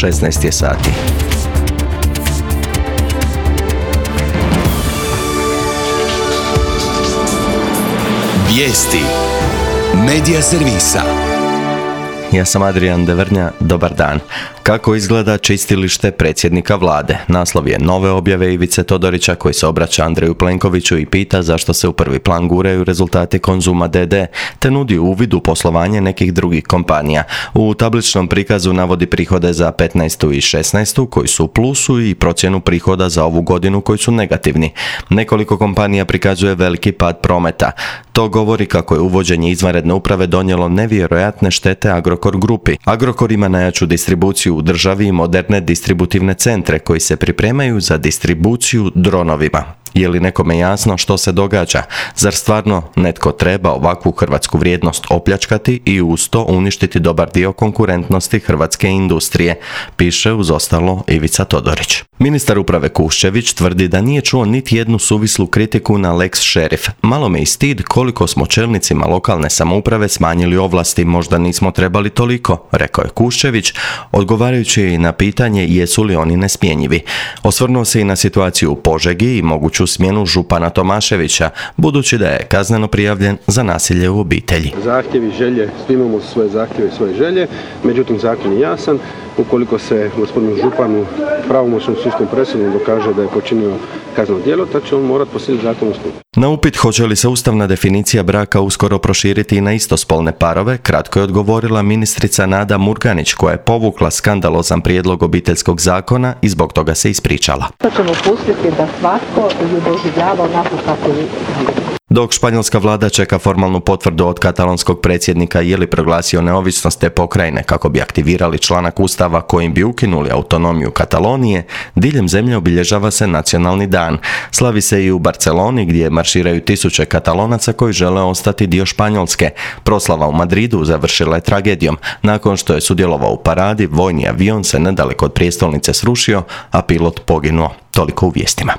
16 je sati. Vijesti Medija servisa. Ja sam Adrian Devrnja, dobar dan. Kako izgleda čistilište predsjednika vlade? Naslov je nove objave Ivice Todorića koji se obraća Andreju Plenkoviću i pita zašto se u prvi plan guraju rezultati Konzuma d.d. te nudi uvid u poslovanje nekih drugih kompanija. U tabličnom prikazu navodi prihode za 15. i 16. koji su u plusu i procjenu prihoda za ovu godinu koji su negativni. Nekoliko kompanija prikazuje veliki pad prometa. To govori kako je uvođenje izvanredne uprave donijelo nevjerojatne štete Agrokor grupi. Agrokor ima najjaču distribuciju u državi i moderne distributivne centre koji se pripremaju za distribuciju dronovima. Je li nekome jasno što se događa? Zar stvarno netko treba ovakvu hrvatsku vrijednost opljačkati i uz to uništiti dobar dio konkurentnosti hrvatske industrije? Piše uz ostalo Ivica Todorić. Ministar uprave Kuščević tvrdi da nije čuo niti jednu suvislu kritiku na lex šerif. Malo me i stid koliko smo čelnicima lokalne samouprave smanjili ovlasti, možda nismo trebali toliko, rekao je Kuščević, odgovarajući na pitanje jesu li oni nesmjenjivi. Osvrnuo se i na situaciju u Požegi i moguću smjenu župana Tomaševića, budući da je kazneno prijavljen za nasilje u obitelji. Zahtjevi, želje, svi imamo svoje zahtjeve i svoje želje, međutim zakon je jasan. Ukoliko se gospodinu županu pravomoćnom sudskom presudom dokaže da je počinio kazneno djelo, tad će on morati po sili zakona stupiti. Na upit hoće li se ustavna definicija braka uskoro proširiti i na istospolne parove, kratko je odgovorila ministrica Nada Murganić koja je povukla skandalozan prijedlog obiteljskog zakona i zbog toga se ispričala. To ćemo pustiti da svatko ju doživljava onako kako je. Dok španjolska vlada čeka formalnu potvrdu od katalonskog predsjednika je li proglasio neovisnost te pokrajine kako bi aktivirali članak ustava kojim bi ukinuli autonomiju Katalonije, diljem zemlje obilježava se nacionalni dan. Slavi se i u Barceloni gdje marširaju tisuće Katalonaca koji žele ostati dio Španjolske. Proslava u Madridu završila je tragedijom. Nakon što je sudjelovao u paradi, vojni avion se nedaleko od prijestolnice srušio, a pilot poginuo. Toliko u vijestima.